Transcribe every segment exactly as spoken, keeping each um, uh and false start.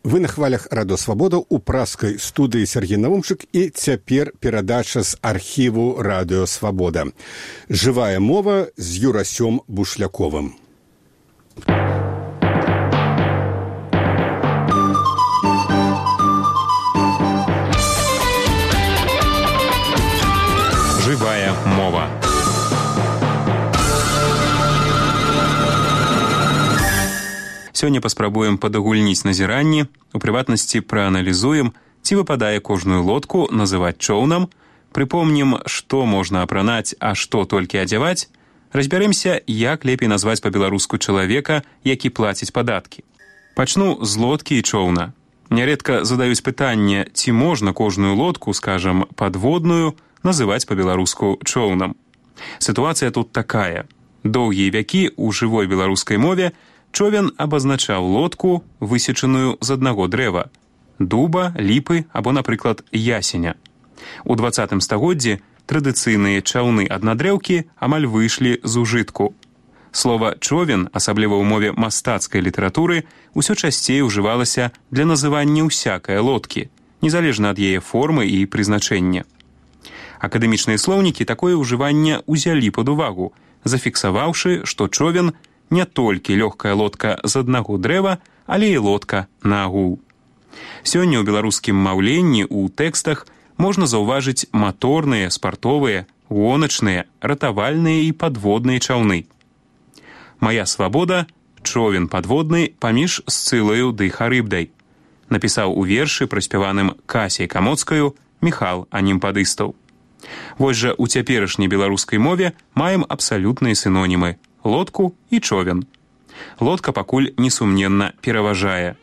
Вы на хвалях Радио Свабода у праскай студыі Сергей Наумчык і цяпер перадача з архіву Радио Свабода. Жывая мова з Юрасём Бушляковым. Жывая мова. Сёння паспрабуем падагульніць назіранні, у прыватнасці прааналізуем, ці выпадае кожную лодку называць чоўнам, прыпомнім, што можна апранаць, а што толькі адзяваць, разбярэмся, як лепей назваць па-беларуску чалавека, які плаціць падаткі. Пачну з лодкі і чоўна. Няредка задаюць пытанне, ці можна кожную лодку, скажам, падводную, называць па-беларуску чоўнам. Сітуацыя тут такая. Доўгія вякі ў жывой беларускай мове човен абазначаў лодку, высечаную з аднаго дрэва – дуба, ліпы або, напрыклад, ясеня. У дваццатым стагоддзі традыцыйныя чаўны-аднадрэўкі амаль выйшлі з ужытку. Слова «човен», асабліва ў мове мастацкай літаратуры, усё часцей ужывалася для называння ўсякай лодкі, незалежна ад яе формы і прызначэння. Акадэмічныя слоўнікі такое ўжыванне ўзялі пад увагу, зафіксаваўшы, што човен – не толькі лёгкая лодка з аднаго дрэва, але і лодка на агул. Сёння ў беларускім маўленні ў тэкстах можна заўважыць маторныя, спартовыя, гоначныя, ратавальныя і падводныя чаўны. «Мая свабода» – човен падводны паміж Сцылаю ды Харыбдай, напісаў у вершы, праспяваным Касяй Камоцкаю, Міхал Анімпадыстаў. Вось жа у цяперашняй беларускай мове маем абсалютныя сінонімы – лодку і човен. Лодка пакуль несумненна пераважае.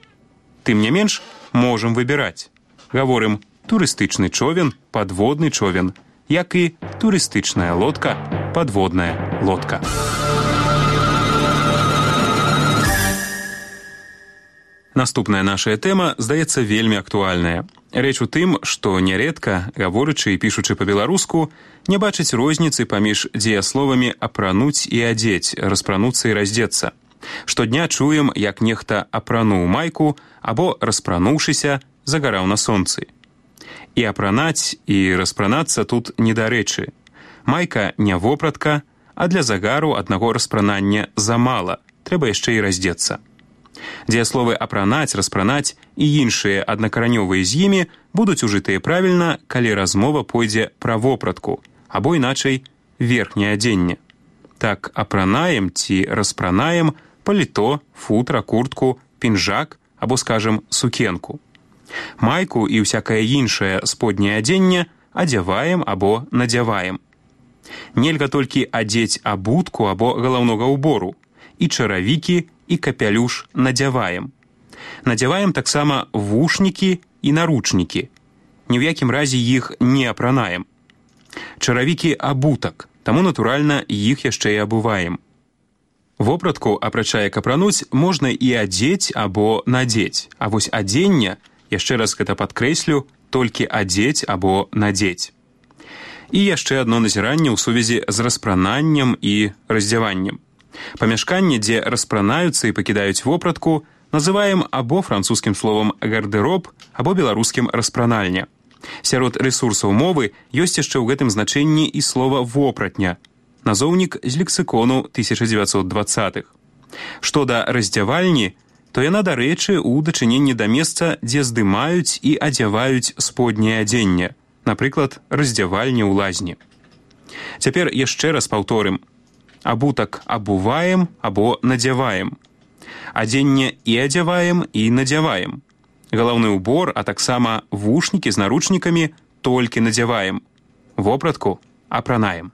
Тым не менш, можам выбіраць. Гаворым турыстычны човен, падводны човен, як і турыстычная лодка, падводная лодка. Наступная наша тэма, здаецца, вельмі актуальная. Рэч у тым, што няредка, гаворычы і пішучы па-беларуску, не бачыць розніцы паміж дзеясловамі «апрануць» і «адзець», «распрануцца» і «раздзецца». Штодня чуем, як нехта апрануў майку або, распрануўшыся, загараў на сонцы. І апранаць, і распранацца тут недарэчы. Майка не вопратка, а для загару аднаго распранання замала, трэба яшчэ і раздзецца. Дзеясловы «апранаць», «распранаць» і іншыя аднакаранёвыя з імі будуць ужытыя правільна, калі размова пойдзе пра вопратку, або іначай верхняе адзенне. Так апранаем ці распранаем паліто, футра, куртку, пінжак або, скажем, сукенку. Майку і ўсякае іншае сподняе адзенне адзяваем або надзяваем. Нельга толькі адзець абутку або галаўнога ўбору, і чаравікі, і капялюш надзяваем. Надзяваем таксама вушнікі і наручнікі. Ні ў якім разе іх не апранаем. Чаравікі абутак, таму, натуральна, іх яшчэ і абуваем. Вопратку, апрача як апрануць, можна і адзець або надзець, а вось адзенне, яшчэ раз гэта падкрэслю, толькі адзець або надзець. І яшчэ адно назіранне ў сувязі з распрананнем і раздзяваннем. Памяшканне, дзе распранаюцца і пакідаюць вопратку, называем або французскім словам «гардэроб», або беларускім «распранальня». Сярод рэсурсаў мовы ёсць яшчэ ў гэтым значэнні і слова «вопратня», назоўнік з лексікону тысяча дзевяцьсот дваццатых. Што да раздзявальні, то яна, дарэчы, у дачыненні да месца, дзе здымаюць і адзяваюць сподняе адзенне, напрыклад, раздзявальня ў лазні. Цяпер яшчэ раз паўторым. Абутак абуваем або надзяваем. Адзенне і адзяваем, і надзяваем. Галаўны ўбор, а таксама вушнікі з наручнікамі толькі надзяваем. Вопратку апранаем.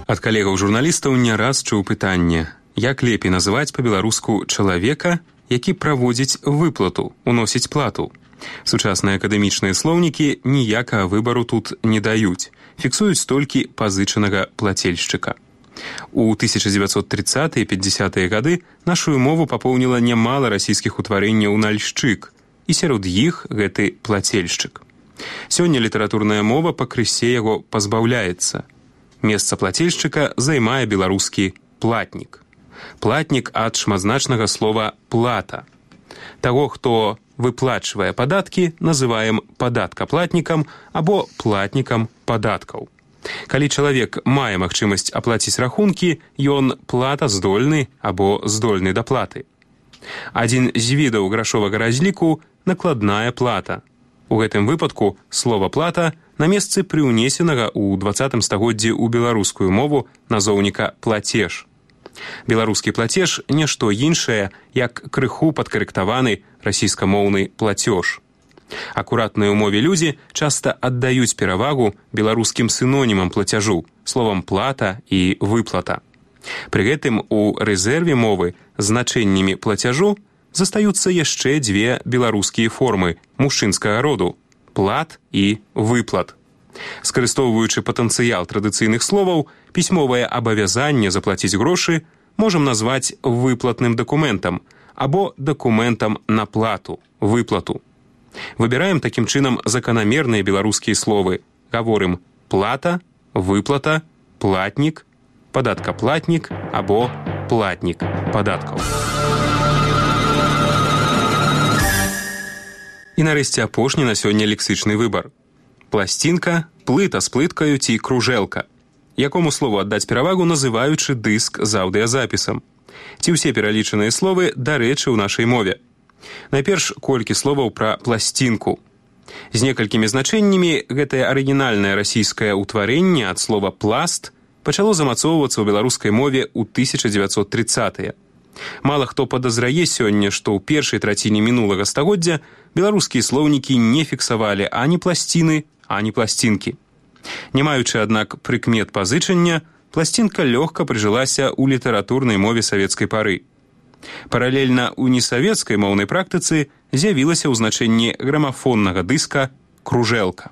Ад калегаў-журналістаў не раз чуў пытанне, як лепей называць па-беларуску чалавека, які праводзіць выплату, уносіць плату. Сучасныя акадэмічныя слоўнікі ніякага выбару тут не даюць, фіксуюць толькі пазычанага плацельшчыка. У тысяча дзевяцьсот трыццатыя і пятьдесятыя гады нашу мову папоўніла нямала расійскіх утварэнняў нальшчык, і сярод іх гэты плацельшчык. Сёння літаратурная мова пакрысе яго пазбаўляецца. Месца плацельшчыка займае беларускі платнік. Платнік ад шматзначнага слова «плата». Таго, хто выплачвае падаткі, называем падаткаплатнікам або платнікам падаткаў. Калі чалавек мае магчымасць аплаціць рахункі, ён платаздольны або здольны да платы. Адзін з відаў грашовага разліку – накладная плата. У гэтым выпадку слова «плата» на месцы прыўнесенага ў дваццатым стагоддзі ў беларускую мову назоўніка «плацеж». Беларускі плацеж – нешто іншае, як крыху падкарэктаваны расійскамоўны плацёж. Акуратныя ў мове людзі часта аддаюць перавагу беларускім сінонімам плацяжу, словам «плата» і «выплата». Пры гэтым у рэзерве мовы значэннямі плацяжу застаюцца яшчэ дзве беларускія формы мужчынскага роду – плат і выплат. Скарыстоўваючы патэнцыял традыцыйных словаў, пісьмовае абавязанне заплаціць грошы можам назваць выплатным дакументам або дакументам на плату, выплату. Выбіраем такім чынам заканамерныя беларускія словы. Гаворым «плата», «выплата», «платнік», «падаткаплатнік» або «платнік падаткаў». І нарэшце апошні на сёння лексычны выбар. Пласцінка, плыта з плыткаю ці кружэлка. Якому слову аддаць перавагу, называючы дыск з аўдыязапісам. Ці ўсе пералічаныя словы дарэчы ў нашай мове. Найперш колькі словаў пра пласцінку. З некалькімі значэннямі гэтае арыгінальнае расійскае ўтварэнне ад слова «пласт» пачало замацоўвацца ў беларускай мове ў тысяча дзевяцьсот трыццатыя. Мала хто падазрае сёння, што ў першай траціне мінулага стагоддзя беларускія слоўнікі не фіксавалі ані пласціны, ані пласцінкі. Не маючы, аднак, прыкмет пазычання, пласцінка лёгка прыжылася ў літаратурнай мове савецкай пары. Паралельна ў несавецкай моўнай практыцы з'явілася ў значэнні грамафоннага дыска кружэлка.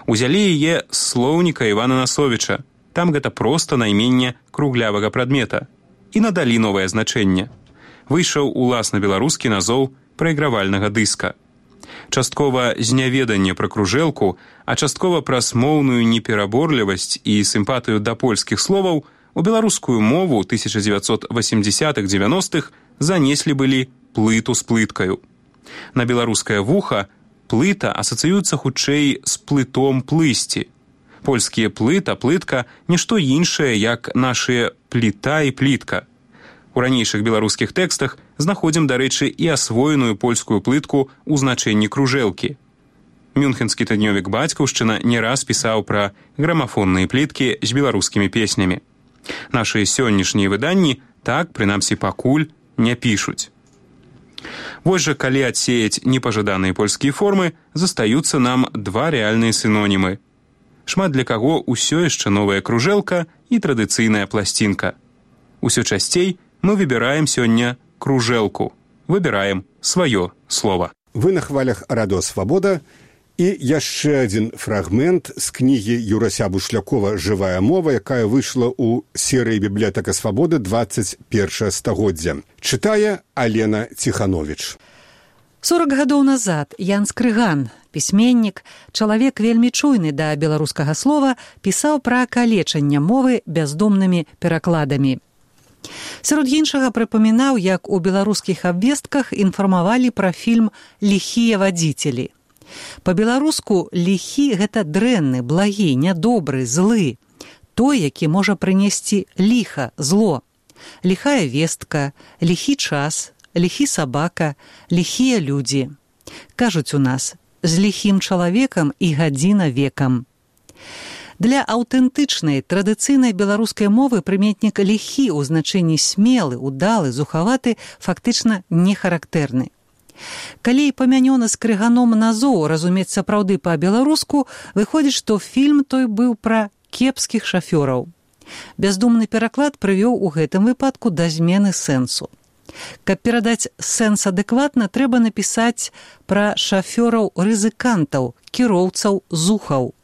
Узялі яе з слоўніка Івана Насовіча, там гэта проста найменне круглявага прадмета, і надалі новае значэнне. Выйшаў уласна беларускі назоў прайгравальнага дыска. Часткова з няведання пра кружэлку, а часткова праз моўную непераборлівасць і сімпатыю да польскіх словаў у беларускую мову тысяча дзевяцьсот васемдзесятых-дзевяностых занеслі былі плыту з плыткаю. На беларускае вуха плыта асацыюецца хутчэй з плытом плысці. Польскія плыта, плытка – нішто іншае, як нашыя пліта і плітка. У ранейшых беларускіх тэкстах знаходзім, дарэчы, і асвоеную польскую плытку ў значэнні кружэлкі. Мюнхенскі тыднёвік «Бацькаўшчына» не раз пісаў пра грамафонныя пліткі з беларускімі песнямі. Нашы сённяшнія выданні так, прынамсі пакуль, не пішуць. Вось жа, калі адсеяць непажаданыя польскія формы, застаюцца нам два рэальныя сінонімы. Шмат для каго ўсё яшчэ новая кружэлка і традыцыйная пласцінка. Усё часцей мы выбіраем сёння кружэлку. Выбіраем сваё слова. Вы на хвалях Радыё Свабода. І яшчэ адзін фрагмент з кнігі Юрася Бушлякова «Жывая мова», якая выйшла ў серыі «Бібліятэка Свабоды» дваццаць першае стагоддзя. Чытае Алена Ціхановіч. сорак гадоў назад Ян Скрыган, пісьменнік, чалавек вельмі чуйны да беларускага слова, пісаў пра калечанне мовы бяздумнымі перакладамі. Сярод іншага прыпамінаў, як у беларускіх абвестках інфармавалі пра фільм «Ліхія вадзіцелі». Па-беларуску ліхі – гэта дрэнны, благі, нядобры, злы. Той, які можа прынесці ліха, зло. Ліхая вестка, ліхі час, ліхі сабака, ліхія людзі. Кажуць у нас, з ліхім чалавекам і гадзіна векам. Для аўтэнтычнай, традыцыйнай беларускай мовы прыметнік ліхі ў значэнні смелы, удалы, зухаваты фактычна не характэрны. Калі памянёны Скрыганом назоў разумець сапраўды па-беларуску, выходзіць, што фільм той быў пра кепскіх шафёраў. Бяздумны пераклад прывёў у гэтым выпадку да змены сэнсу. Каб перадаць сэнс адэкватна, трэба напісаць пра шафёраў-рызыкантаў, кіроўцаў зухаў.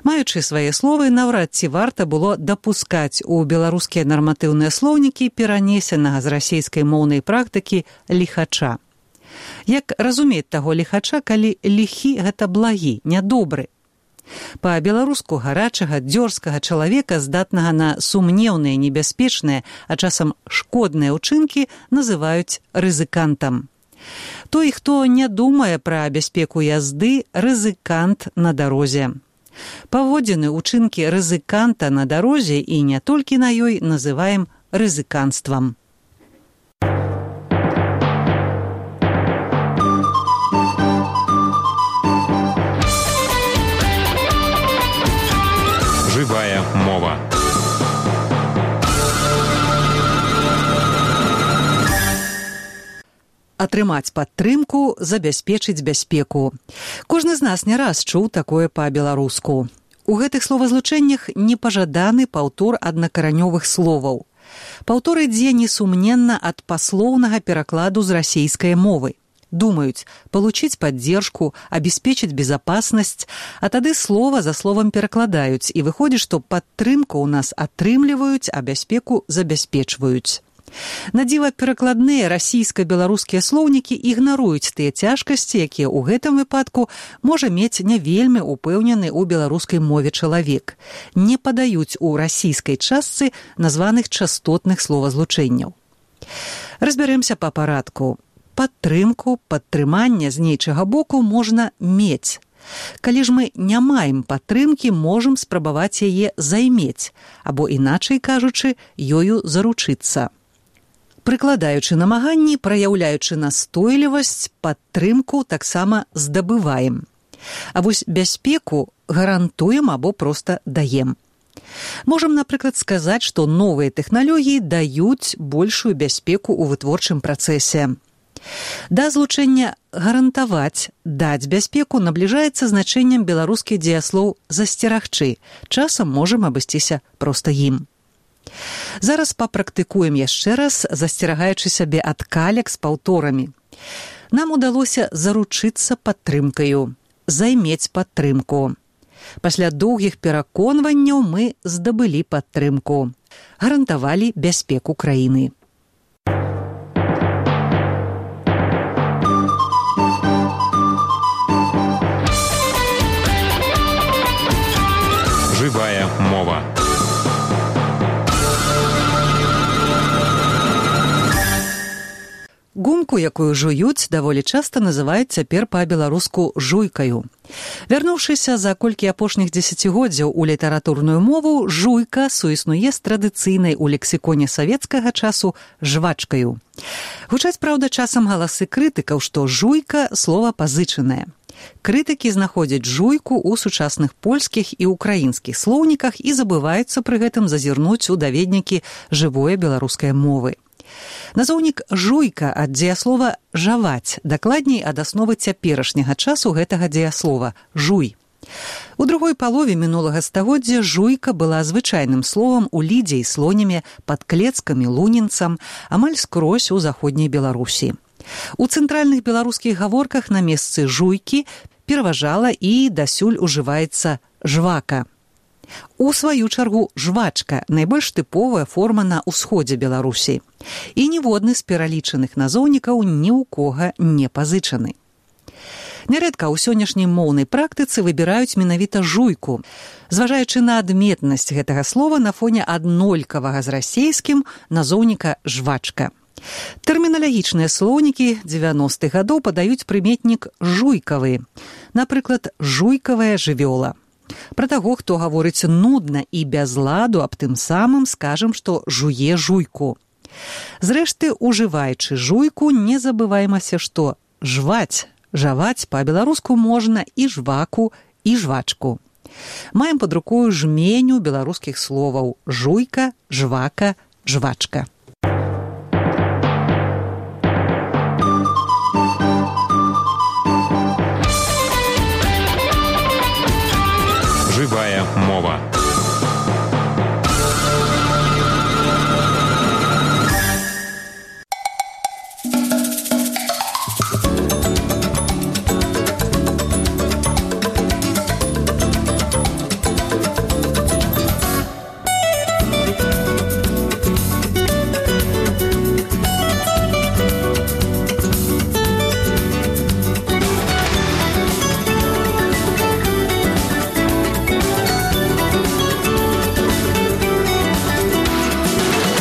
Маючы свае словы, наўрад ці варта было дапускаць у беларускія нарматыўныя слоўнікі перанесенага з расейскай моўнай практыкі ліхача. Як разумець таго ліхача, калі ліхі – гэта благі, нядобры? Па-беларуску гарачага, дзёрзкага чалавека, здатнага на сумнеўныя, небяспечныя, а часам шкодныя ўчынкі, называюць рызыкантам. Той, хто не думае пра бяспеку язды, рызыкант на дарозе. Паводзіны, учынкі рызыканта на дарозе і не толькі на ёй называем рызыканствам. Жывая мова. Атрымаць падтрымку, забяспечыць бяспеку. Кожны з нас не раз чуў такое па-беларуску. У гэтых словазлучэннях непажаданы паўтор аднакаранёвых словаў. Паўтор ідзе несумненна ад паслоўнага перакладу з расейскай мовы. Думаюць получить поддержку, обеспечить безопасность, а тады слова за словам перакладаюць, і выходзіць, што падтрымку ў нас атрымліваюць, а бяспеку забяспечваюць. Надзіва перакладныя расійска-беларускія слоўнікі ігнаруюць тыя цяжкасці, якія ў гэтым выпадку можа мець не вельмі упэўнены ў беларускай мове чалавек. Не падаюць у расійскай частцы названых частотных словазлучэнняў. Разбярэмся па парадку. Падтрымку, падтрыманне з нейчага боку можна мець. Калі ж мы не маем падтрымкі, можам спрабаваць яе займець, або, іначай кажучы, ёю заручыцца. Прыкладаючы намаганні, праяўляючы настойлівасць, падтрымку таксама здабываем. А вось бяспеку гарантуем або проста даем. Можам, напрыклад, сказаць, што новыя тэхналогіі даюць большую бяспеку ў вытворчым працэсе. Да злучэння гарантаваць, даць бяспеку набліжаецца значэннем беларускі дзеяслоў засцерагчы. Часам можам абысціся проста ім. Зараз папрактыкуем яшчэ раз, засцерагаючы сябе ад калек з паўторамі. Нам удалося заручыцца падтрымкаю, займець падтрымку. Пасля доўгіх пераконванняў мы здабылі падтрымку, гарантавалі бяспеку краіны. Жывая мова. Гумку, якую жуюць, даволі часта называюць цяпер па-беларуску жуйкаю. Вярнуўшыся за колькі апошніх дзесяцігоддзяў у літаратурную мову, жуйка суіснуе з традыцыйнай у лексіконе савецкага часу жвачкаю. Гучаць, праўда, часам галасы крытыкаў, што жуйка – слова пазычанае. Крытыкі знаходзяць жуйку ў сучасных польскіх і украінскіх слоўніках і забываюцца пры гэтым зазірнуць у даведнікі жывое беларускай мовы. Назоўнік жуйка ад дзеяслова жаваць, дакладней ад асновы цяперашняга часу гэтага дзеяслова жуй. У другой палове мінулага стагоддзя жуйка была звычайным словам у лідзе і слоніме, пад Клецкам і Лунінцам, амаль скрозь у заходняй Беларусі. У цэнтральных беларускіх гаворках на месцы жуйкі пераважала і дасюль ужываецца жвака. У сваю чаргу жвачка – найбольш тыповая форма на ўсходзе Беларусі. І ніводны з пералічаных назоўнікаў ні ў кога не пазычаны. Нярэдка ў сённяшняй моўнай практыцы выбіраюць менавіта жуйку, зважаючы на адметнасць гэтага слова на фоне аднолькавага з расейскім назоўніка жвачка. Тэрміналагічныя слоўнікі дзевяностых гадоў падаюць прыметнік жуйкавы, напрыклад, жуйкавая жывёла. Пра таго, хто гаворыць нудна і без ладу, аб тым самым скажам, што жуе жуйку. Зрэшты, ужываючы жуйку, не забываймася, што жваць, жаваць па-беларуску можна і жваку, і жвачку. Маем пад рукою жменю беларускіх словаў жуйка, жвака, жвачка.